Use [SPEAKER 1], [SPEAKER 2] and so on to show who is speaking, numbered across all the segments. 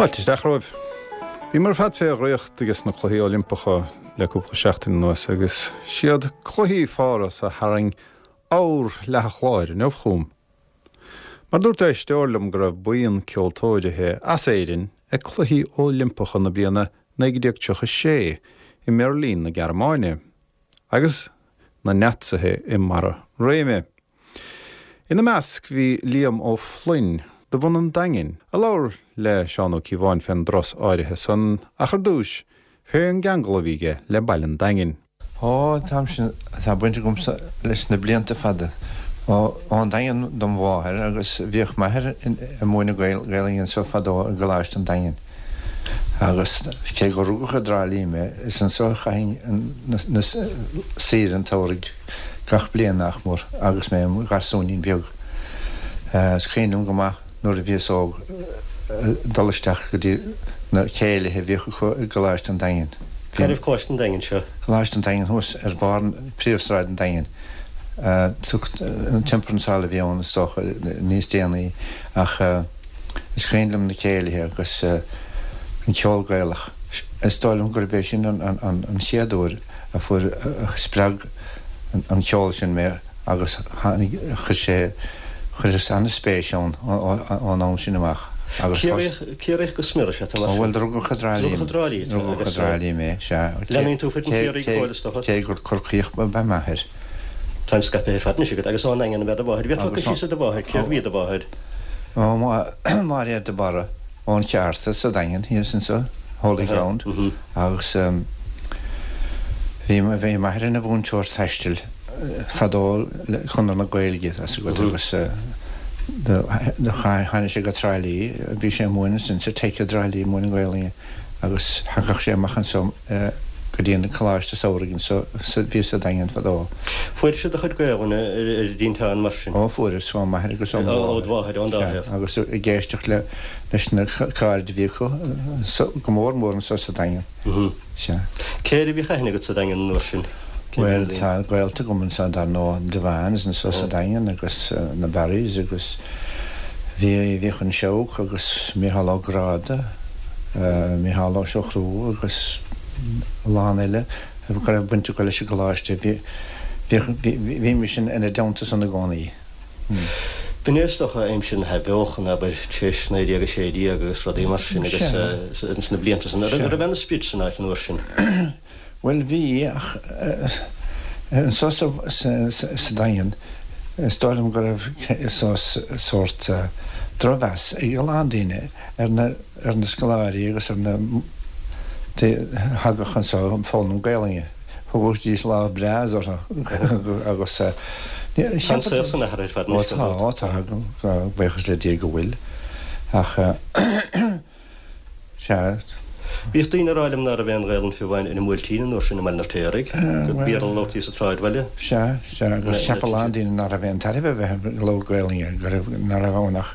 [SPEAKER 1] Fáilte isteach romhaibh. Bhíomar ar fad fé dhraíocht ages na Cluichí Oilimpeacha le cúpla seachtain anuas agus siad Cluichí Pháras a tharraing ábhar leath an chláir inniu chugam. Mar dúirt éisteoir liom go raibh buíon ceoltóirithe as Éirinn ag Cluichí Oilimpeacha na bliana 1936 i mBeirlín na Gearmáine agus na Naitsithe i mbarra réime. Ina measc bhí Liam Ó Floinn, de bhunadh an Daingin, a labhair le Seán Ó Cíobháin fén dturas áirithe san ach ar dtúis, fén gceangal a bhí aige le baile an Daingin.
[SPEAKER 2] Ó, tá sin, tá baint agamsa leis na blianta fada. Ó, ón Daingean dom mháthair agus bhíodh m'athair ag múineadh Gaelainne anseo fadó i gColáiste an Daingin. Agus cé gur rugadh i dTrá Lí mé, is anseo a chaithinn na saoire an tsamhraidh gach bliain nach mór agus mé im gharsúinín beag. Is cuimhin liom go maith nuair a bhíos óg dul isteach go dtí na céilithe a bhíodh acu i gColáiste an Daingin.
[SPEAKER 3] Cá raibh Coláiste an Daingin seo?
[SPEAKER 2] Coláiste an Daingin thuas ar bharr príomhshráid an Daingin. An Temperance Hall a bhí ann is dócha níos déanaí ach. Is cuimhin liom na céilithe agus an ceol Gaelach. Is dóigh liom gurb é sin an chéad uair a fuair, a spreag an ceol sin mé agus tháinig, chuir sé, chuireas an-spéis ann ón am sin amach
[SPEAKER 3] agus thosaigh. Ciarraíoch go smior is ea tú mar sin?
[SPEAKER 2] Ó bhuel, rugadh i dTrá Lí
[SPEAKER 3] Rugadh i dTrá Lí tú
[SPEAKER 2] agus. Rugadh i dTrá Lí mé, sea.
[SPEAKER 3] Leanaíonn tú foireann Chiarraí go fóill is dócha?
[SPEAKER 2] Cé gur Corcaíoch ab ea m'athair.
[SPEAKER 3] Táim scaipthe ar fad anois agat agus ón nDaingean ab ea do mháthair. Bhí tú síos ar do mháthair, cérbh í do mháthair?
[SPEAKER 2] Ó, Máiréad de Barra, ón Cheárta sa Daingean thíos anso, Holy Ground, agus bhí bhí m'athair ina mhúinteoir taistil fadó le Conradh na Gaeilge, tá 's agat, agus do tháinig sé go Trá Lí, bhí sé ag múineadh ansin sa Teic i dTrá Lí, múineadh Gaelainne. agus thagadh sé amach anso go dtí an Coláiste Samhraidh anso a bhí sa Daingean fadó.
[SPEAKER 3] Fuairis do chuid Gaelainne ar an dtinteán mar sin?
[SPEAKER 2] Ó, fuaireas, ó m'athair agus ó mo mháthair.
[SPEAKER 3] Ó do mháthair, ón dá thaobh.
[SPEAKER 2] Agus ag éisteacht le, leis na cairde a bhí acu, go mór mór anso sa Daingean.
[SPEAKER 3] Sea. Cé air a bhíodh aithne agat sa Daingean an uair sin?
[SPEAKER 2] Bhuel, tá gaolta agam anso dar ndóigh, na Devines anso sa Daingean agus na Barrys agus bhí, bhíodh an Seabhac agus Micheál Ó Gráda, Micheál Ó Siochrú agus a lán eile go raibh baint acu leis an gcoláiste. Bhí, bhíodh, bhímis ina dteannta san i gcónaí.
[SPEAKER 3] B'in é is dócha aimsir na hathbheochana, abair, tar éis 1916 agus rudaí mar sin agus ins na blianta san. An raibh aon sprid san áit an uair sin?
[SPEAKER 2] Bhuel, bhí, ach anso sa Daingean, is dóigh liom go raibh sórt drochmheas ag a lán daoine ar na ar na scoláirí agus ar na a thagadh anso ag foghlaim Gaelainne. Thugaidís lámh breá orthu agus
[SPEAKER 3] Tá an saol san athraithe ar fad anois,
[SPEAKER 2] gan dabht. Ó tá, tá, buíochas le Dia go bhfuil. Ach. Sea.
[SPEAKER 3] Bhíodh daoine ag rá liom ná raibh aon Ghaelainn fiú amháin ar an mBuailtín an uair sin i mBaile an Fheirtéaraigh, gur Béarla a labhartaí sa tsráidbhaile.
[SPEAKER 2] Sea, sea, agus cheap a lán daoine ná raibh aon tairbhe a bheith ag labhairt Gaelainne, go raibh, ná raibh ann ach,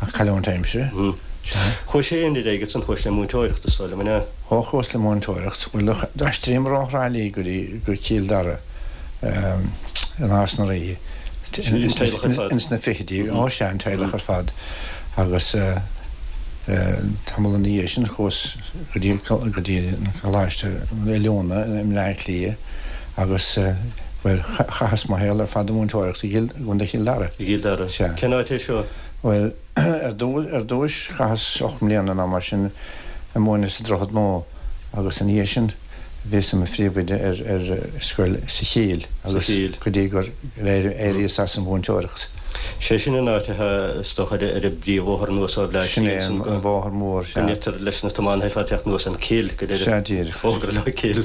[SPEAKER 2] ach cailliúint aimsire.
[SPEAKER 3] Sea. Chuaigh sé ar aghaidh ansan, chuais le múinteoireacht, is dóigh liom, an ea?
[SPEAKER 2] Ó, chuas le múinteoireacht. Bhuel, d'aistríomar ó Thrá Lí go dtí, go Cill Dara, i Nás na Rí, ins na fichidí. Ó, sea, an teaghlach ar fad. Agus tamall ina dhiaidh sin chuas go dtí go dtí an Coláiste Oiliúna i mBleá Cliath agus, bhuel, chaitheas mo shaol ar fad ag múinteoireacht i gContae Chill Dara.
[SPEAKER 3] I gCill Dara.
[SPEAKER 2] Sea.
[SPEAKER 3] Cén áit é seo?
[SPEAKER 2] Bhuel, ar dtúis chaitheas 8 mbliana nó mar sin ag múineadh sa Droichead Nua agus ina dhiaidh sin, Bhíos i mo phríomhoide ar scoil sa Chill agus go dtí gur éiríos as an mhúinteoireacht.
[SPEAKER 3] Sé sin an áit atá, is dócha, ar an bpríomhbhóthar anuas ó Bhleá
[SPEAKER 2] Sin é an bóthar mór,
[SPEAKER 3] sea. Go ndeirtear leis na tiománaithe ar fad teacht anuas an Cill, go
[SPEAKER 2] deireadh. Sea, díreach.
[SPEAKER 3] Fógra leo Cill.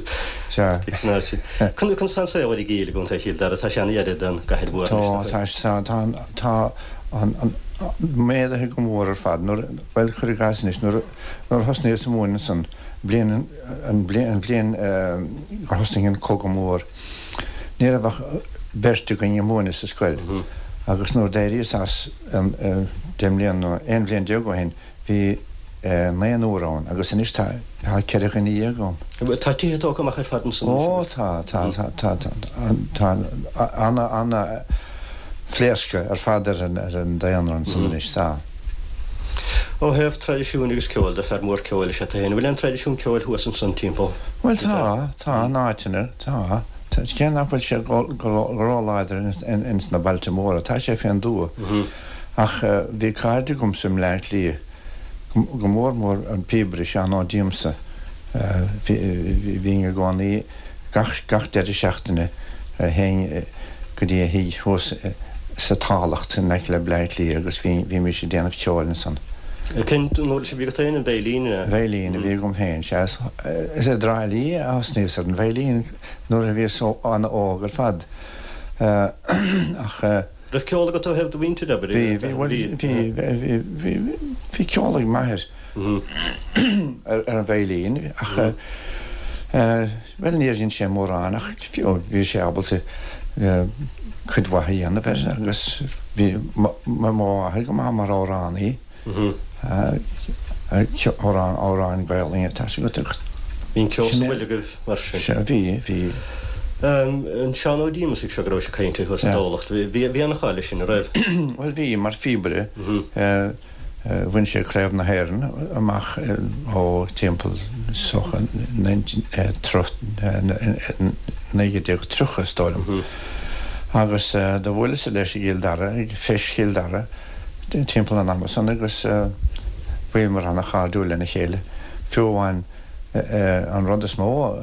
[SPEAKER 2] Sea.
[SPEAKER 3] San áit sin. Conas tá an saol ar an gCill i gContae Chill Dara? Tá sé an-ghar don gcathair mhór
[SPEAKER 2] anois, nach bhfuil? Tá, tá, tá, tá an méadaithe go mór ar fad. Nuair, bhuel, cuir i gcás anois, nuair a thosnaíos ag múineadh ansan, bliain, an bhliain gur thosnaigh an Cogadh Mór, ní raibh ach beirt againn ag múineadh sa scoil agus nuair d'éiríos as 10 mbliana nó 11 bhliain ó shin bhí naonúr ann agus anois tá 14 dhuine ann.
[SPEAKER 3] Tá tithe tógtha amach ar fad ansan
[SPEAKER 2] anois? Ó tá, tá, tá, tá, tá ana, ana phléascadh ar fad ar an daonra ansan anois, tá.
[SPEAKER 3] Ó thaobh traidisiúin agus ceoil de, fear mór ceoil is ea tú féin. An bhfuil aon traidisiún ceoil thuas ansan timpeall?
[SPEAKER 2] Bhuel tá, tá, in áiteanna, tá. Cé nach bhfuil sé go róláidir ins na bailte móra, tá sé fén dtuath. Ach bhí cairde agamsa i mBleá Cliath, go mór mór an píobaire Seán Ó Díomsa, bhínn i gcónaí gach deireadh seachtaine théinn go dtí a thigh thuas sa Tamhlacht in aice le Bleá Cliath agus bhímis ag déanamh ceoil ansan.
[SPEAKER 3] Cén uirlis a bhí agat féin, an veidhlín?
[SPEAKER 2] Veidhlín a bhí agam féin, sea. Is i dTrá Lí a thosnaíos ar an veidhlín nuair a bhíos an-óg ar fad ach.
[SPEAKER 3] Raibh ceol agat ó thaobh do mhuintire, abair?
[SPEAKER 2] Bhí, bhí, bhuel, bhí, bhí, bhí, bhí ceol ag m'athair ar an veidhlín ach, bhuel, níor dhein sé mórán ach bhí sé ábalta cuid mhaith a dhéanamh air agus bhí mo mháthair go maith mar amhránaí. Amhrán, amhráin Gaelainne, tá 's agat agus.
[SPEAKER 3] Bhí an ceol sa bhfuil agaibh mar sin?
[SPEAKER 2] Sea, bhí, bhí.
[SPEAKER 3] An Seán Ó Díomasaigh seo go raibh sibh ag caint air thuas i dTamhlacht, bhí, bhí an-cháil leis sin, an raibh?
[SPEAKER 2] Bhuel bhí, mar phíobaire, bhain sé Craobh na hÉireann amach ó timpeall is dócha 1930 is dóigh liom. Agus do bhuaileas-sa leis i gCill Dara, ag Feis Chill Dara, timpeall an ama san agus bhíomar ana-chairdiúil lena chéile. Fiú amháin an rud is mó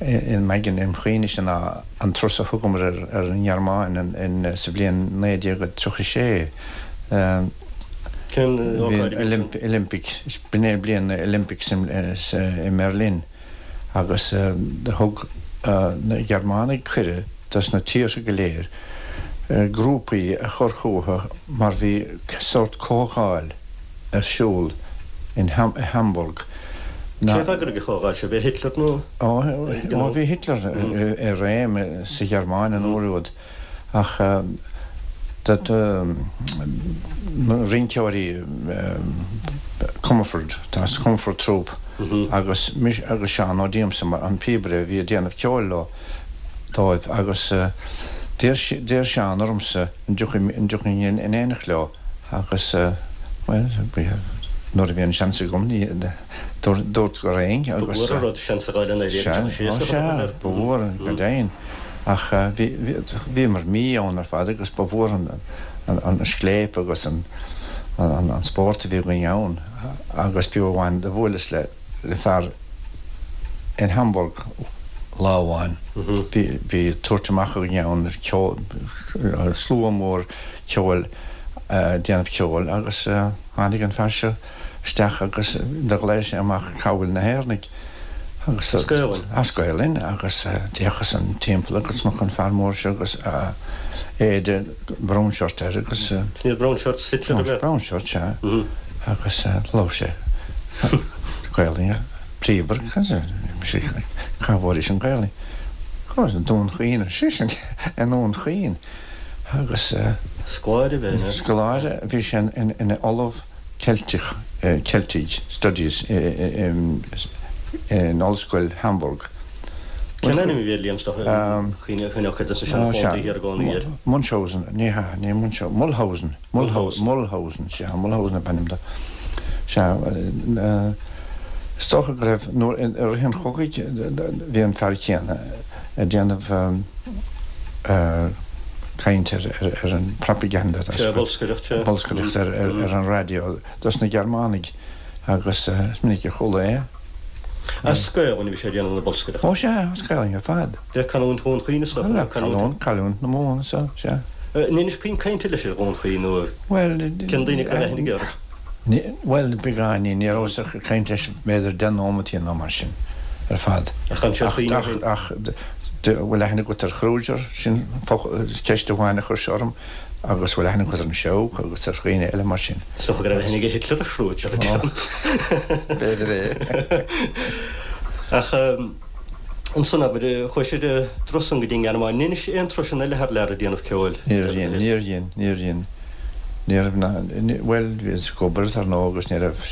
[SPEAKER 2] im aigne im chuimhnese ná an turas a thugamar ar an nGearmáin sa bhliain 1936.
[SPEAKER 3] Cén ócáid a bhí
[SPEAKER 2] sin? Olympic, b'in é bliain na Olympics i mBerlin agus thug na Gearmánaigh cuireadh dos na tíortha go léir grúpaí a chur chucu mar bhí sórt comhdháil ar siúl in Hamburg.
[SPEAKER 3] Cé a d'eagraigh an chomhdháil seo? B'é Hitler nó?
[SPEAKER 2] Ó bhí Hitler i réim sa Ghearmáin an uair úd ach na rinceoirí Comerford, Comerford Troupe agus agus Seán Ó Díomsa mar an píobaire a bhí ag déanamh ceoil leo. dóibh agus d'iarr Seán ormsa an dtiocfainn in éineacht leo agus, bhuel, nuair a bhí an seans agam, dúrt go raghainn
[SPEAKER 3] agus. Ba mhór an rud seans a fháil in 1936
[SPEAKER 2] a chur air. Ba mhór, go deimhin. Ach bhíomar mí ann ar fad agus ba mhór an scléip agus an spórt a bhí againn ann agus fiú amháin do bhuaileas le le fear in Hamburg lá amháin. Bhí tabhairt amach againn ann, ceol, slua mór ceoil, déanamh ceoil agus tháinig an fear seo isteach agus do ghlaoigh sé amach cá bhfuil na hÉireannaigh
[SPEAKER 3] agus As Gaolainn.
[SPEAKER 2] As Gaolainn agus d'fhéachas an timpeall agus chonac an fear mór seo agus éide brown shirt air agus.
[SPEAKER 3] Sin iad brown shirts Hitler ab
[SPEAKER 2] ea? Brown shirt, sea. Agus labhair sé Gaolainn, píobaire, cá bhfuairis an Ghaolainn? Ó, Dún Chaoin, ar seisean, i nDún Chaoin. Agus.
[SPEAKER 3] Scoláire ab
[SPEAKER 2] ea? Scoláire, bhí sé ina ollamh Ceilteach, Celtic Studies in Ollscoil Hamburg.
[SPEAKER 3] Cén ainm a bhí air Liam is dócha cuimhneoidh cuid dos na seanfhondúirí thiar i gcónaí air.
[SPEAKER 2] Munchausen, ní hea, ní Munchausen, Mulhausen, Mulhausen, Mulhausen, sea, Mulhausen ab ainm dó. Sea, is dócha go raibh, nuair, i rith an chogaidh bhí an fear céanna ag déanamh caint ar an propaganda,
[SPEAKER 3] Sea, bolscaireacht,
[SPEAKER 2] sea. bolscaireacht ar an raidió dos na Gearmánaigh agus is minic a chuala é.
[SPEAKER 3] As Gaelainn a bhí sé ag déanamh na
[SPEAKER 2] bolscaireachta? Ó sea, as Gaelainn ar fad.
[SPEAKER 3] De canúint Dhún Chaoin is
[SPEAKER 2] dócha, nó canúint. Canúint na Mumhan is ea, sea.
[SPEAKER 3] An inis puinn cainte leis ar Dhún Chaoin nó cén daoine a raibh aithne aige orthu?
[SPEAKER 2] Bhuel, beagáinín, ní rabhas ach ag caint leis b'fhéidir deich nóimeataí nó mar sin ar fad.
[SPEAKER 3] Ach an sé Chaoin ó shin?
[SPEAKER 2] Ach, bhfuil aithne agat ar Kruger? Sin ceist amháin a chuir sé orm. Agus bhfuil aithne agat ar an Seabhac agus ar dhaoine eile mar sin?
[SPEAKER 3] Is dócha go raibh aithne ag Hitler ar Kruger, a deirim.
[SPEAKER 2] B'fhéidir é.
[SPEAKER 3] Ach ansan, abair, chuaigh sibh ar an dturas san go dtí an nGearmáin. An ndeinis aon turasanna eile thar lear ag déanamh ceoil?
[SPEAKER 2] Níor dhein, níor dhein, níor dhein. Ní raibh ná, bhuel, bhíos ag obair, dar ndóigh, agus ní raibh,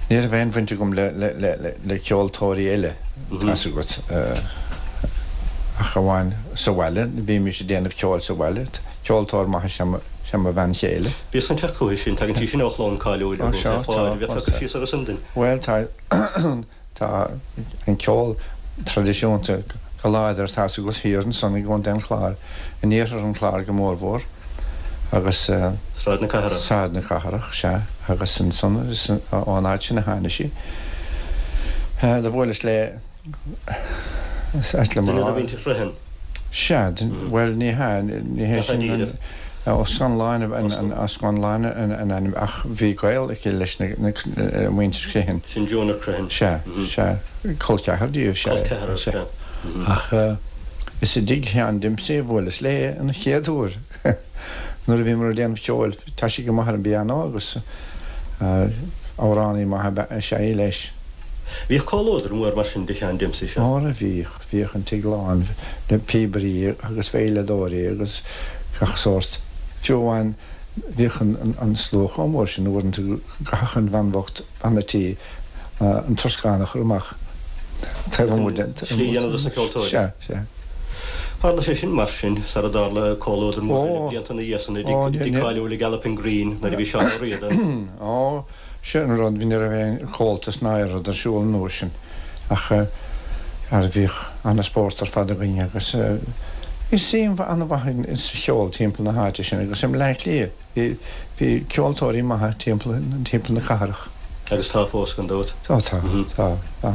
[SPEAKER 2] ní raibh aon bhaint agam le, le, le, le ceoltóirí eile, tá's agat, ach amháin sa bhaile, bhímis ag déanamh ceoil sa bhaile. Ceoltóir maith is ea. Sé mo bhean chéile.
[SPEAKER 3] Bhíos chun teacht chuici sin, tagann sí sin ó chlann cáiliúil i gContae an Chláir, an bhféadfá cur síos orthu sin duinn?
[SPEAKER 2] Bhuel, tá, tá an ceol traidisiúnta go láidir, tá's agat, thiar ansan i gContae an Chláir, in iarthar an Chláir go mórmhór, agus.
[SPEAKER 3] Sráid na Cathrach.
[SPEAKER 2] Sráid na Cathrach, sea, agus ansan, is ón áit sin a tháinig sí. Do bhuaileas léi. Is ait liom a
[SPEAKER 3] Duine de mhuintir Chriomhthain.
[SPEAKER 2] Sea, bhuel, ní hea, ní hé sin an, Ó Scanláin Ó Scanláin an ainm ach bhí gaol aici leis na muintir Chriomhthain.
[SPEAKER 3] Sin Jonah Criomhthan.
[SPEAKER 2] Sea, sea, col ceathar díobh, sea.
[SPEAKER 3] Col ceathar, sea.
[SPEAKER 2] Ach is i dtigh Sheáin Dimpsey a bhuaileas léi an chéad uair nuair a bhíomar ag déanamh ceoil. Tá sí go maith ar an bpianó agus amhránaí maith is ea í leis.
[SPEAKER 3] Bhíodh comhluadar mór mar sin de Sheán Dimpsey seo.
[SPEAKER 2] Óra bhíodh, bhíodh an tigh lán le píobairí agus veidhleadóirí agus gach sórt. Fiú amháin bhíodh an slua chomh mór sin uaireanta go gcaithfeadh an bhean bhocht, bean a' tí, an troscán a chur amach taobh amuigh den.
[SPEAKER 3] Slí a dhéanamh dos na ceoltóirí.
[SPEAKER 2] Sea, sea.
[SPEAKER 3] Tharla sé sin mar sin sara dtarla comhluadar mór eile blianta ina dhiaidh san i dtigh cáiliúil i Galloping Green nuair a bhí Seán Ó Riada.
[SPEAKER 2] Ó, Sin an rud, ní raibh aon chomhaltas ná aon rud ar siúl an uair sin ach ara bhíodh ana-spórt ar fad againn agus bhí suim an-mhaith sa cheol timpeall na háite sin agus i mBleá Cliath. Bhí, bhí ceoltóirí maithe timpeall, timpeall na cathrach.
[SPEAKER 3] Agus tá fós, gan dabht.
[SPEAKER 2] Tá, tá, tá, tá.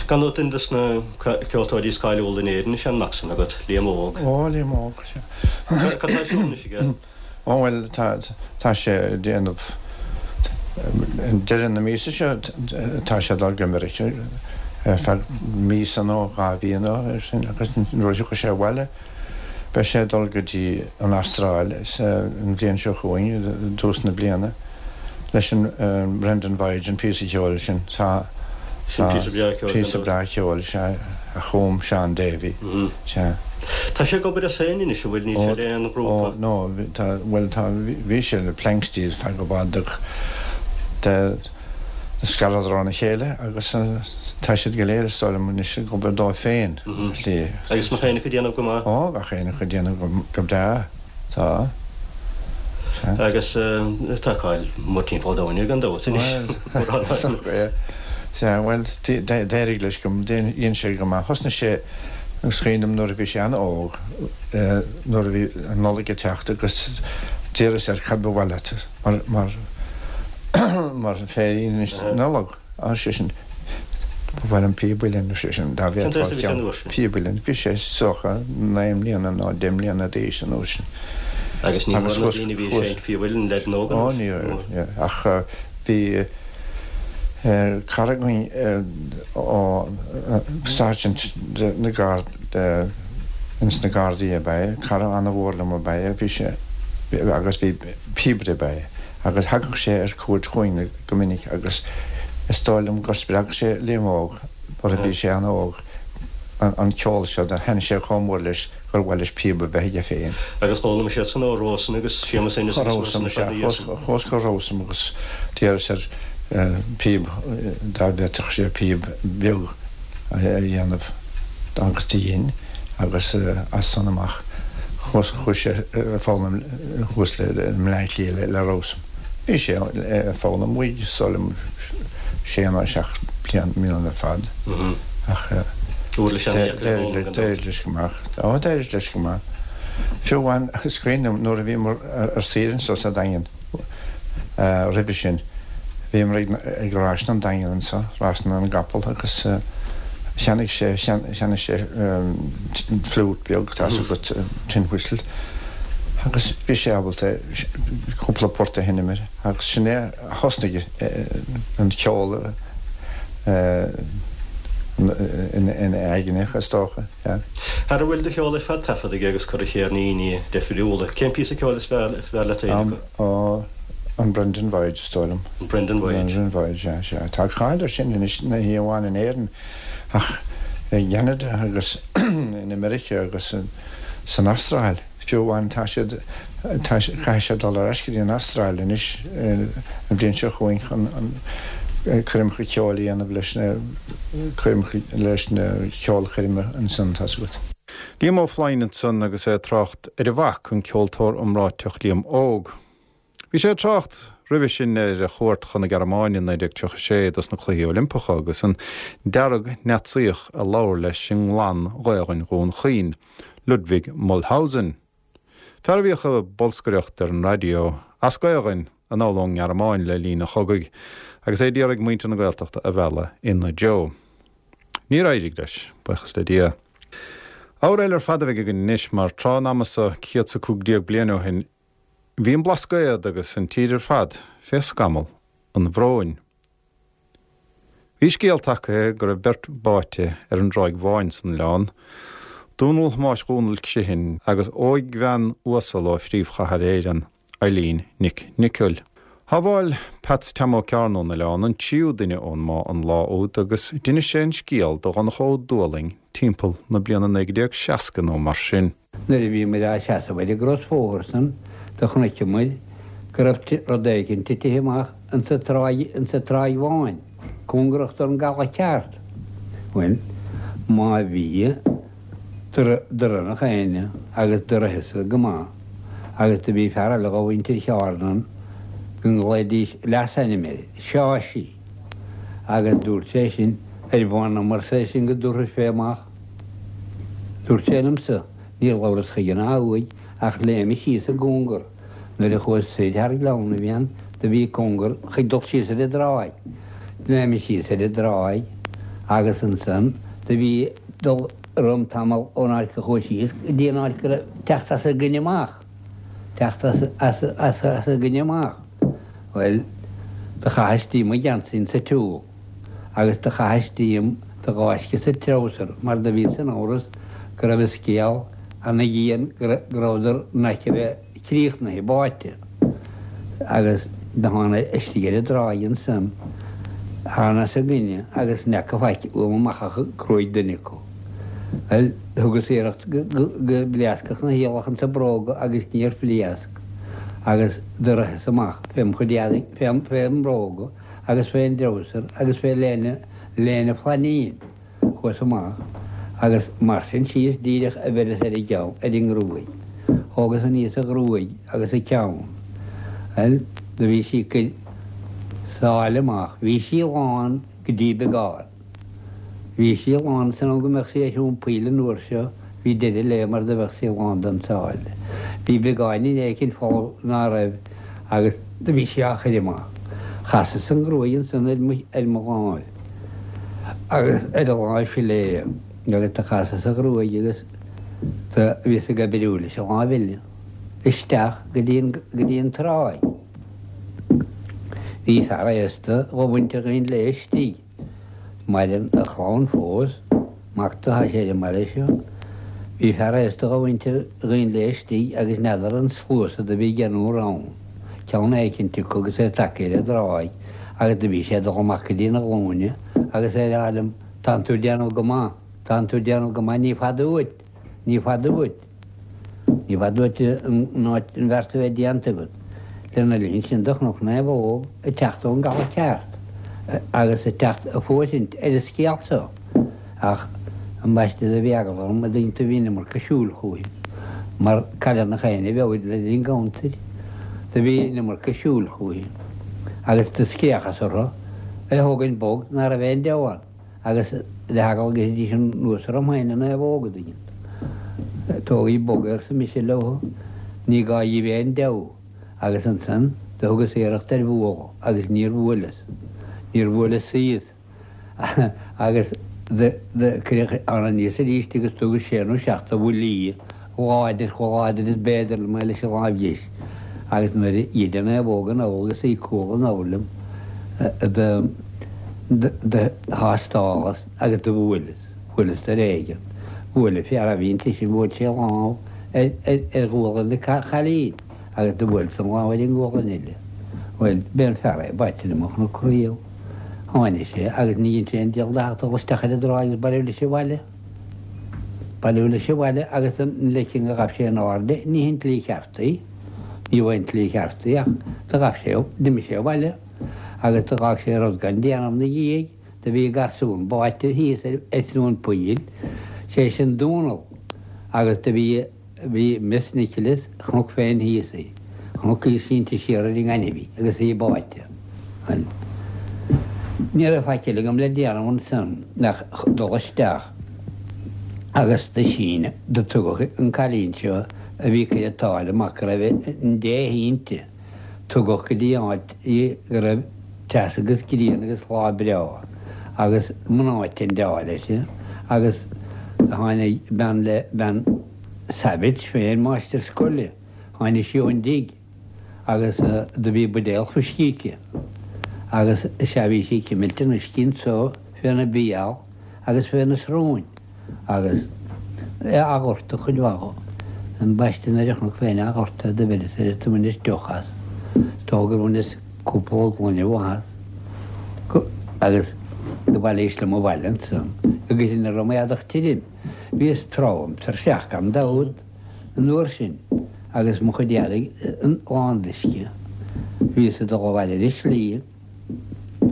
[SPEAKER 3] Gan dabht duine dos na ceoltóirí is cáiliúla in Éirinn is ea an mac san agat, Liam Óg.
[SPEAKER 2] Ó, Liam Óg, sea.
[SPEAKER 3] Cad tá ar siúl anois aige?
[SPEAKER 2] Ó bhuel, tá, tá sé ag déanamh, deireadh na míosa seo tá sé ag dul go Meiriceá ar feadh míosa nó 2 mhí nó mar sin agus nuair a thiocfaidh sé abhaile beidh sé ag dul go dtí an Astráil an bhliain seo chugainn, i dtús na bliana, leis an Brendan Voyage, an píosa ceoil sin. Tá,
[SPEAKER 3] Sin píosa breá ceoil,
[SPEAKER 2] Píosa breá ceoil, sea, a chum Seán Davey, sea.
[SPEAKER 3] Tá sé ag obair as féin anois, an bhfuil? Níl sé le aon ghrúpa?
[SPEAKER 2] Ó, no, tá, bhuel, tá, bhí sé le Planxty ar feadh i bhfad ach do scaradar óna chéile agus tá siad go léir, is dóigh liom, anois ag obair dóibh féin, ar
[SPEAKER 3] shlí. Agus nach aon acu ag déanamh go maith?
[SPEAKER 2] Ó, gach aon acu ag déanamh go breá. Tá.
[SPEAKER 3] Sea. Agus tá cáil mór timpeall an domhain air gan dabht anois.
[SPEAKER 2] Bhuel, sea, bhuel, d'éirigh leis go, dhein sé go maith. Thosnaigh sé, is cuimhin liom nuair a bhí sé an-óg, nuair a bhí an Nollaig ag teacht agus d'iarras air cad ba mhaith leat mar, mar, mar féirín Nollag. Ar seisean, Ba mhaith liom píob uilleann, ar seisean, dá bhféadfá ceann, píob uilleann. Bhí sé is dócha 9 mbliana nó 10 mbliana d'aois an uair sin.
[SPEAKER 3] Agus ní mór na daoine a bhí ag seinnt píob uilleann, leaideanna óga
[SPEAKER 2] Ó, ní raibh, ach bhí cara againn ó Sergeant na Garda, ins na Gardaí ab ea é, cara an-mhór liom ab ea é, bhí sé, agus bhí píobaire ab ea é, agus thagadh sé ar cuairt chugainn, go minic agus is dóigh liom gur spreag sé Liam Óg nuair a bhí sé an-óg an ceol seo, do thaitnigh sé chomh mór leis gur mhaith leis píob a bheith aige féin.
[SPEAKER 3] Agus d'fhoghlaim sé iadsan ó Rawson agus Séamus Ennis agus
[SPEAKER 2] Rawson, sea, chuas go Rawson agus d'iarras air píob, dá bhféadfadh sé píob beag a dhéanamh agus do dhein agus as san amach chuaigh sé ag foghlaim thuas i mBleá Cliath le Rawson. Bhí sé ag foghlaim uaidh is dóigh liom sé nó 7 mbliana ar fad ach d'éirigh leis go maith. Ó, d'éirigh leis go maith. Fiú amháin, is cuimhin liom nuair a bhíomar ar saoire anseo sa Daingean roimhe sin, bhíomar ag Rásanna an Daingin anseo, Rásanna na gCapall agus cheannaigh sé, cheannaigh sé fliút beag, tá's agat, tin whistle, agus bhí sé ábalta cúpla port a sheinm air agus sin é a thosnaigh an ceol ina aigne, is dócha.
[SPEAKER 3] Ara bhfuil do cheol ar fad taifeadta aige agus curtha ar chéirníní difriúla. Cén píosa ceoil is fearr leat féin acu?
[SPEAKER 2] Ó, an Brendan Voyage, is dóigh liom.
[SPEAKER 3] An Brendan Voyage.
[SPEAKER 2] Brendan Voyage, sea, sea. Tá cáil air sin anois, ní hé amháin in Éirinn ach i gCeanada agus in America agus san Astráil. Fiú amháin tá siad, tá, caithfidh sé dul ar ais go dtí an Astráil anois an bhliain seo chugainn chun an coirmeacha ceoil a dhéanamh leis na coirmeacha, leis na ceolchoirme ansan, tá's agat.
[SPEAKER 1] Liam Ó Floinn ansan agus é ag trácht ar a mhac, an ceoltóir iomráiteach Liam Óg. Bhí sé ag trácht roimhe sin ar a chuairt chun na Gearmáine i 1936 dos na Cluichí Oilimpeacha agus an dearg-Naitsíoch a labhair leis i nGlan-Ghaolainn Dhún Chaoin, Ludwig Mulhausen. Fear a bhíodh ag bolscaireacht ar an raidió, as Gaolainn, anall ón nGearmáin le linn an chogaidh agus é d'iarraidh muintir na Gaeltachta a mhealladh ina dtreo. Níor éirigh leis, buíochas le Dia. Ábhar eile ar fad a bheidh againn anois mar tráth an ama so céad 's 15 bliain ó shin bhí an Blascaod agus an tír ar fad fé scamall an bhróin. Bhí scéal tagtha go raibh beirt báite ar an dTráigh Bháin san oileán, Dónal Thomáis Dhónaill Criomhthain agus óigbhean uasal ó phríomhchathair Éireann, Eileen Nic Niocaill. Shábháil Peats Tom Ó Cearna ón oileán an tríú duine ón mbá an lá úd agus d'inis sé an scéal do Dhonncha Ó Dúlaing timpeall na bliana 1960 nó mar sin.
[SPEAKER 4] Nuair a bhíomair á seasamh ar an gcrosbhóthar san do chonaiceamair go raibh rud éigin titithe amach insa tráigh, insa Tráigh Bháin, cóngarach don gcaladh ceart. Bhuel, má bhí, do rith nach éinne agus do ritheas-sa go maith agus do bhí fear eile dho mhuintir Cheárna ann go nglaoidís leasainm air, Seáisí, agus dúirt sé sin, ar mh'anam, arsa é sin, go dtabharfais fé amach. Dúirt sé liomsa, níor labhras chuige ná uaidh, ach léimeas síos i gcóngar. Nuair a chuas soir thar Gleann na bhFiann do bhí cóngar chuig dul síos ar an dtráigh. Léimeas síos ar an dtráigh agus ansan do bhí dul romham tamall ón áit go chuas síos go dtí an áit go raibh teacht as an gcoinne amach. Teacht as, as, as, as an gcoinne amach. Bhuel, do chaitheas díom mo gheansaí insa tsiúl. agus do chaitheas díom do ghaisce sa treabhsar mar do bhíos in amhras go raibh an scéal ana dhian go rabhadar in aice a bheith críochnaithe, báite. Agus do thána istigh ar an dtráigh ansan, thána os a gcoinne agus n'fheaca faic uaim amach ach gruaig duine acu. Bhuel, thugas iarracht go bpléascfadh na hiallach insa bróga agus níor phléasc agus do ritheas amach fém chuid eadaigh, fém mbróga, agus fén dtreabhsar agus fé léine, léine flainín. Chuas amach agus mar sin síos díreach a bheireas ar an gceann, ar an ngruaig. Thógas aníos a ghruaig agus a ceann. Bhuel, do bhí sí ag cur sáile amach. Bhí sí lán go dtí beagán. Bhí sí lán san am go mbeadh sí ar throm poill an uair seo, bhí deireadh léi mar do bheadh sí lán den tsáile. Bhí beagáinín éicint folamh ná raibh agus do bhí sí á chur amach. Chasas an ghruaig ansan ar mo, ar mo láimh agus ar an láimh chlé agus do chasas an ghruaig agus do bhíos ag oibriú leis an láimh eile isteach go dtí an, go dtí an tráigh. Bhí fear aosta dho mhuintir Dhuinn Léith istigh. Maireann a chlann fós, mac do tá sé ar an mbaile seo. Bhí fear aosta dho mhuintir Dhuinn Léith istigh agus n'fheadar an sluasaid do bhí ag déanamh ann. Ceann éicint acu agus é tagtha ar an dtráigh agus do bhí sé ag dul amach go dtí na glúine agus é ag rá liom, Tánn tú ag déanamh go maith, tánn tú ag déanamh go maith, ní fada uait, ní fada uait. Ní fada uait an áit an bheart a bheith déanta agat. Lena linn sin do chonac naomhóg ag teacht ón gcaladh ceart agus ag teacht ag fóirithint ar an scéal so. Ach ambaiste do bhí eagla orm a dtuigeann tú bhí an iomarca siúil chúithi mar cailleadh nach éinne a bheadh le linn gabhantair. Do bhí an iomarca siúil chúithi agus do scréachas orthu é thógaint bog ná raibh aon deabhadh ann. agus le heagla go dtitfidís anuas orm féin an naomhóg a dtuigeann tú. Tógaigí bog é arsa mise leo, ní gá dhíbh aon deabhadh agus ansan do thugas iarracht ar bhualadh agus níor bhuaileas, níor bhuaileas síos agus do cuireadh ann aníos arís agus thugas sé nó seacht de bhuillí láidir, chomh láidir is b'fhéidir liom é leis an láimh dheis agus nuair a ghoid an naomhóg anall agus í cúl anall liom do do thástálas agus do bhuaileas, bhuaileas ar éigean. Bhuail an fear a bhí inti sin, bhuail sé a lámh ar ar ghualainn an chailín agus do bhuaileas an lámh ar an ngualainn eile. Bhuel, b'é an fear é b'aite liom ó chonac riamh. Tháinig sé agus ní dhein sé aon diabhal de ach dul isteach ar an dtráigh agus bailiú leis abhaile. Bailiú leis abhaile agus an leiceann go ghabh sé in airde, ní hin tslí cheart í, ní bh' an tslí cheart í ach do ghabh sé, d'imigh sé abhaile agus do dh'fhág sé rud gan déanamh 'na dhiaidh, do bhí garsún báite thíos ar Chluain Poill, sé sin Dónall. Agus do bhí, bhí Miss Nicholas, chonac féin thíos í, chonac í sínte siar ar an ngaineamh í agus í báite. Bhuel, ní raibh faic eile agam le déanamh ansan ach dul isteach agus do síneadh, do tugadh an cailín seo a bhí ag cur an tsáile amach go raibh an dé inti, tugadh go dtí áit í go raibh teas agus grian agus lá breá agus mná ag teindeáil uirthi agus do tháinig bean le, bean Savage féin, máistir scoile, tháinig sí ón dtigh agus do bhí buidéal fuiscí aici agus is ea bhí sí ag cimilt an uisce anso féna béal agus féna srón agus é á dhortadh cuid mhaith dho. Ambaiste nuair a chonac féin á dhortadh do bheireas air do bhaineas deoch as. Is dócha gur bhaineas cúpla gloine mhaith as agus do bhailíos liom abhaile ansan agus ina raibh m'éadach tirim. Bhíos trom tuirseach gan dabht an uair sin agus mo chuid eadaigh lán d'uisce. Bhíos ag dul abhaile ar an slí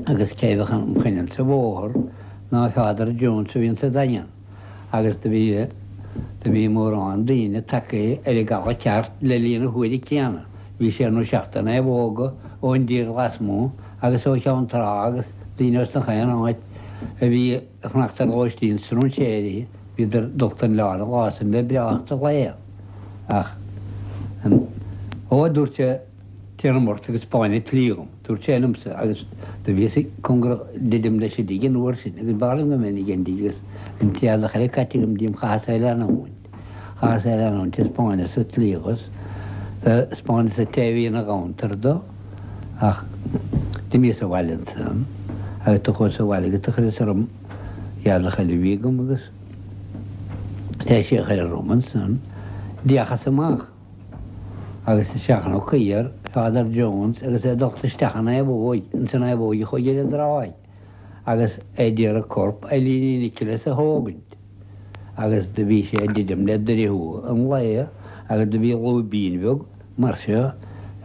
[SPEAKER 4] agus cé bheadh im choinne sa bhóthar ná Father Jones a bhí insa Daingean agus do bhí do bhí mórán daoine tagtha ar an gcaladh ceart le linn na huaire céanna. Bhí sé nó seacht de naomhóga ón dtír lasmuigh agus ó Cheann Trá agus daoine os nach aon áit a bhí ag fanacht ar lóistín strainséirí, bhíodar dulta 'on oileán an lá san le breáthacht an lae. Ach, ó, a dúirt sé, téanam ort agus 'spáin an tslí dhom, dúirt sé liomsa, agus do bhíos cóngarach didim leis an dtigh an uair sin, agus b'fhearr liom go mbeinn ag an dtigh agus an t-éadach eile caite agam díom, chaitheas é leanúint, chaitheas é leanúint, 'spáineas an tslí dhos, 'spáineas an té a bhí ina ghabhantar do. Ach d'imíos abhaile ansan agus do chuas abhaile agus do chuireas orm éadach eile a bhí agam agus tar éis é a chur orm ansan d'fhéachas amach agus is ea chonac thiar Father Jones agus é dulta isteach i naomhóig, ins an naomhóig a chuaigh ar an dtráigh agus é d'iarraidh corp Eilíní Nicholas a thógaint. Agus do bhí sé ag druidim le Doire Thuaidh an lae agus do bhí lúibín bheag mar seo a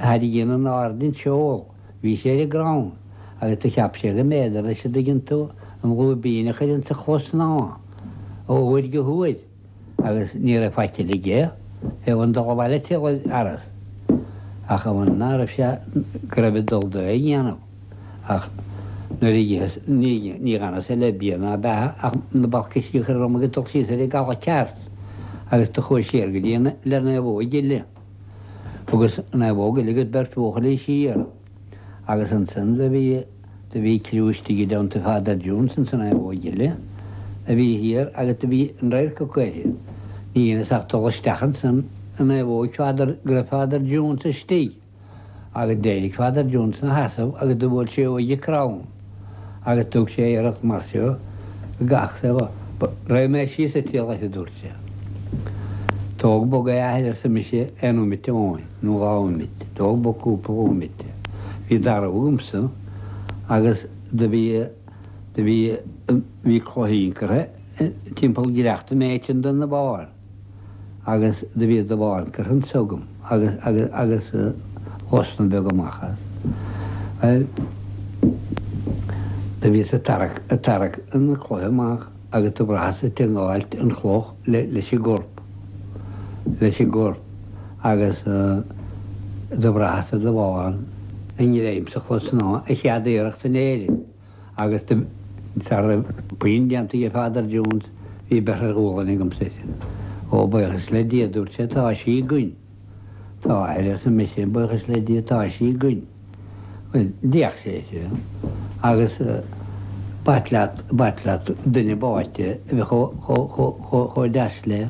[SPEAKER 4] tharraingíonn in airde an seol. Bhí sé ar an gcrann agus do cheap sé go mb'fhéidir leis an dtuigeann tú an lúibín a chur insa chlosshnáth ó uair go huair agus ní raibh faic eile aige fé bhun dul abhaile tuilleadh aras ach amháin ná raibh sé go raibh ag dul dó é a dhéanamh. Ach nuair a d'itheas, ní dh'fhanas le bia ná beatha ach na balcaisí a chur orm agus dul síos ar an gcaladh ceart agus do chuas siar go dtí an le naomhóig eile. Thugas naomhóg eile agus beirt bhuachaillí siar agus ansan do bhí, do bhí criú istigh i dteannta Father Jones insa naomhóig eile a bhí thiar agus do bhí an radharc acu uirthi. Ní dheineas ach dul isteach ansan i naomhóig Father, go raibh Father Jones istigh. Agus d'éirigh Father Jones 'na sheasamh agus do bhuail sé uaidh an crann agus thug sé iarracht mar seo gach saol. Raghaidh mé síos ag triall uirthi, a dúirt sé. Tóg bog é, a athair, arsa mise, aon nóimite amháin, nó dhá nóimite. Tóg bog cúpla nóimite. Bhí darbh agamsa agus do bhí, do bhí, bhí cloichín curtha timpeall gleachta méid den bharr. agus do bhí dubhán curtha anso agam agus agus agus osna beag amach as. Bhuel, do bhíos ag tarrac ag tarrac na cloiche amach agus do bhraitheas ag tiongáilt an chloch le leis an gcorp leis an gcorp agus do bhraitheas an dubhán i ngreim sa chlochshnáth an chéad iarracht in Éirinn. Agus sara raibh puinn déanta ag Father Jones bhí beirthe ar ghualainn agamsa uirthi. Ó, buíochas le Dia, dúirt sé, tá sí againn. Tá, a athair, arsa mise, buíochas le Dia, tá sí againn. Bhuel, d'fhéach sé uirthi agus b'ait leat, b'ait leat duine báite a bheith chomh, chomh, chomh, chomh, chomh deas léi.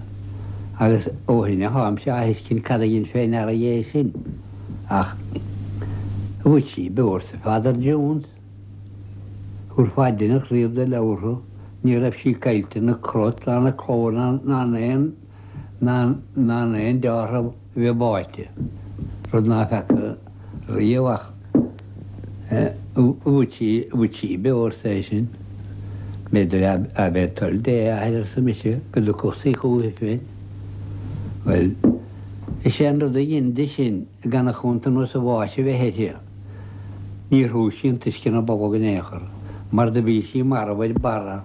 [SPEAKER 4] Agus ó shin atáimse á thuiscint cad a dhein fé ndeara é sin. Ach bhfuil sí beo, arsa Father Jones. Thabharfá deannach riamh do leabhartha, ní raibh sí caillte ina crot ná ina cló ná in aon ná in aon deáthramh a bheith báite, rud ná feaca riamh ach bhfuil sí, bhfuil sí beo arsa eisean. B'fhéidir ab é toil Dé a athair arsa mise go dtiocfadh sí chúithi féin. Bhuel, is é an rud a dhein di sin gan a chuntanós a bháis a bheith uirthi. Níor shúigh sí an t-uisce ina bolg in aon chor, mar do bhí sí marbh ar barra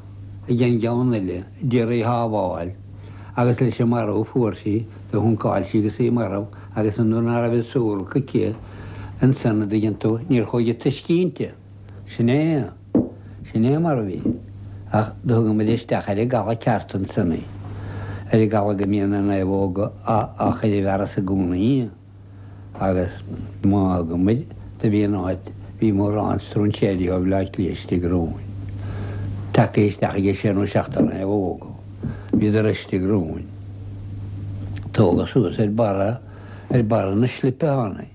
[SPEAKER 4] ag an gceann eile d'iarraidh í shábháil. Agus leis an marbh a fuair sí, do shuncáil sí agus í marbh, agus an nuair ná raibh an suarach aici ansan, a dtuigeann tú, níor chuaigh an t-uisce inti. Sin é. Sin é mar a bhí. Ach do thugamair isteach ar an gcaladh ceart ansan í. Ar an gcaladh go mbíonn na naomhóga á chur i bhfearas i gcónaí. Agus má fhágamair do bhí an áit, bhí mórán stróinséirí ó Bhleá Cliath istigh romhainn. Tagtha isteach ag sé nó seachtar naomhóga. Bhíodar istigh romhainn. Tógadh suas ar barra, ar barra na slipe ann í.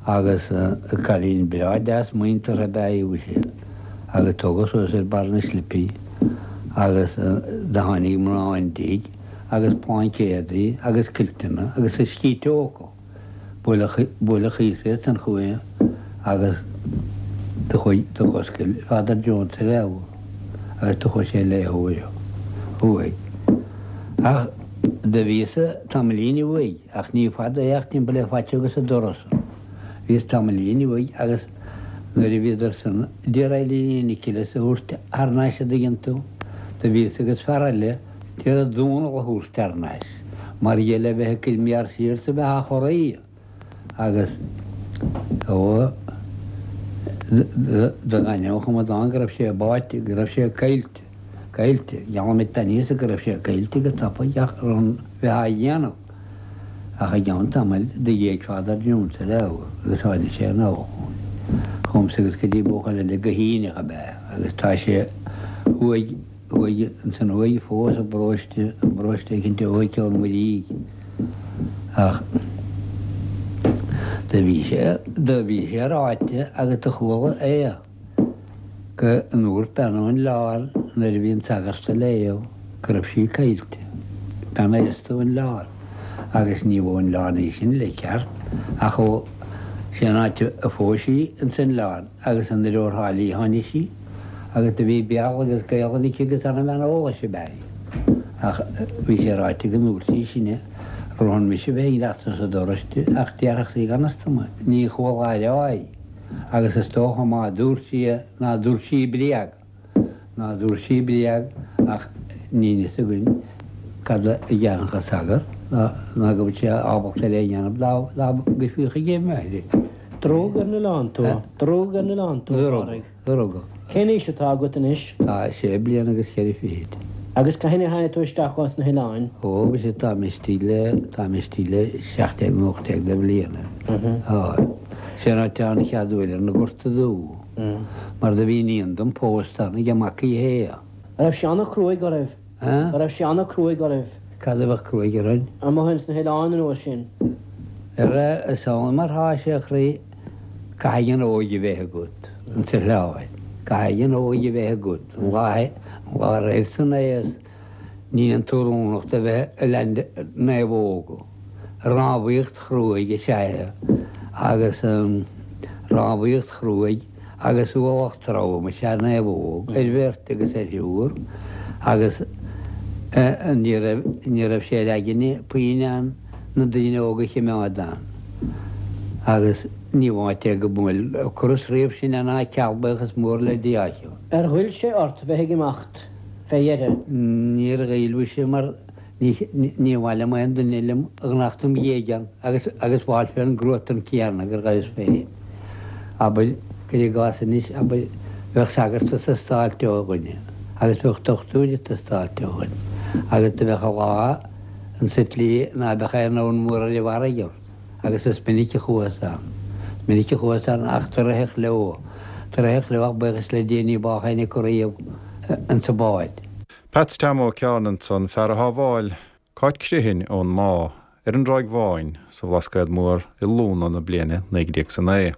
[SPEAKER 4] Agus cailín breá deas muinteartha ab ea í mhuise, agus tógadh suas ar barra na slipe í, agus do tháinig mná an tigh agus plaincéadaí agus cuilteanna agus uiscí teo acu. Buaileadh, buaileadh thíos í ansan chuici agus do chuaigh, do dh'oscail Father Jones a leabhar agus do chuaigh sé ag léamh uaidh. Ach do bhíos-sa tamaillín uaidh. Ach ní fada é ach timpeall ar phaiteog as an doras. Bhíos tamaillín uaidh agus nuair a bhíodar san d'iarraidh Eileen Ní Nioclais a thabhairt thar n-ais a dtuigeann tú, do bhíos agus fear eile d'iarraidh Dónall a thabhairt thar n-ais mar gheall le bheith ag cur méar siar 's a bheith á chorraí agus ó do dh'ainm an chomadán go raibh sé báite, go raibh sé caillte. Caillte. Gheallaim duit aníos go raibh sé caillte go tapaidh ach rún bheith á dhéanamh. Ach i gceann tamaill do ghéag Father Jones a leabhar agus tháinig sé anall chugainn. Chugamsa agus go dtí buachaill eile go hAoineach ab ea agus tá sé thuaidh, thuaidh, ansan thuaidh fós i bparóiste, i bparóiste éicint ó thuaidh Ceann Muirígh. Ach do bhí sé, do bhí sé ráite agus do chuala é. go ndúirt bean ón oileán nuair a bhí an sagart a léamh go raibh sí caillte. Bean aosta ón oileán. Agus ní ón oileán í sin le ceart ach ó sé an áit a phós sí ins an oileán agus anoir ó Thrá Lí a tháinig sí agus do bhí Béarla agus Gaelainn aici agus ana-bhean eolais ab ea í. Ach bhí sé ráite go ndúirt sí sin ar shon mise bheith ag leachtú sa doras di ach déarfadh sí gan fhios dom é. Ní chuala á rá í. Agus is dócha má dúirt sí é ná dúirt sí bréag, ná dúirt sí bréag ach níl fhios againn cad a dhéanfadh an sagart ná go bhfuil sé ábalta ar é a dhéanamh dá dá gcuirfí chuige é.
[SPEAKER 5] D'rugadh ar an oileán tú? D'rugadh ar an oileán tú, a Phádraig?
[SPEAKER 4] D'rugadh.
[SPEAKER 5] Cén aois atá agat anois?
[SPEAKER 4] Tá sé bliana agus cheithre fichid.
[SPEAKER 5] Agus cathain a tháinig tú isteach ós na hoileáin?
[SPEAKER 4] Ó, mhuise, tá mé istigh le, tá mé istigh le 17 nó 18 de bhliana. Á, sé an áit an chead uair ar na Gorta Dubh. Mar do bhí iníon dom pósta ann ag Mac Uí Shé.
[SPEAKER 5] An raibh sé ana-chruaidh oraibh?
[SPEAKER 4] An
[SPEAKER 5] raibh sé ana-chruaidh oraibh?
[SPEAKER 4] Cad a bheadh cruaidh orainn?
[SPEAKER 5] Amuigh ins na hoileáin an uair sin.
[SPEAKER 4] Ara, is amhlaidh mar thá sé a chroí, caithfidh an óige bheith agat, ins an oileán. Caithfidh an óige bheith agat. An lá, an lá roimh san aos, níl an t-oiriúnach do bheith ag leaint naomhóga. Rámhaíocht chruaidh is ea é, agus rámhaíocht chruaidh agus ualach trom is ea naomhóg, ar bheirt agus ar thriúr, agus ní raibh, ní raibh sé ar aigne puinn ann na daoine óga a chimeád ann. Agus ní bh'áit é go mbuail ocras riamh sinn ná ceal, buíochas mór le Dia.
[SPEAKER 5] Ar ghoill sé ort bheith ag imeacht fé dheireadh?
[SPEAKER 4] Níor ghoill mhuise mar Ní mhaith liom aon duine liom a fhanacht im dhiaidh ann agus agus b'fháil fén gcruatan céanna gur ghabhas féin. Abair, cuir i gcás anois, abair, bheadh sagart ag teastáilt ó dhuine agus bheadh dochtúir ag teastáilt ó dhuine agus do bheadh a lá insa tslí ná beadh aon fhonn mór ar an bhfarraige ort agus is minic a chuathas ann. Is minic a chuathas ann ach do ritheadh leo. Do ritheadh leo ach buíochas le Dia ní bádh éinne acu riamh insa bhád.
[SPEAKER 1] Peats Tom Ó Cearna ansan, fear a shábháil Cáit Criomhthain ón mbá ar an dTráigh Bháin sa Bhlascaod Mór i Lúna na bliana 1909.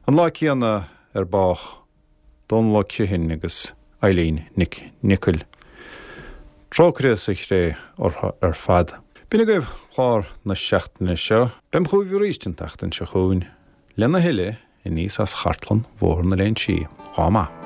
[SPEAKER 1] An lá céanna ar bádh Dónal Ó Criomhthain agus Eileen Nic Niocaill. Trócaire sa chré orthu ar fad. B'in agaibh clár na seachtaine seo. Beam chugaibh arís an tseachtain seo chugainn lena thuilleadh aníos as chartlann Bhóthar na Léinsí. Lá maith.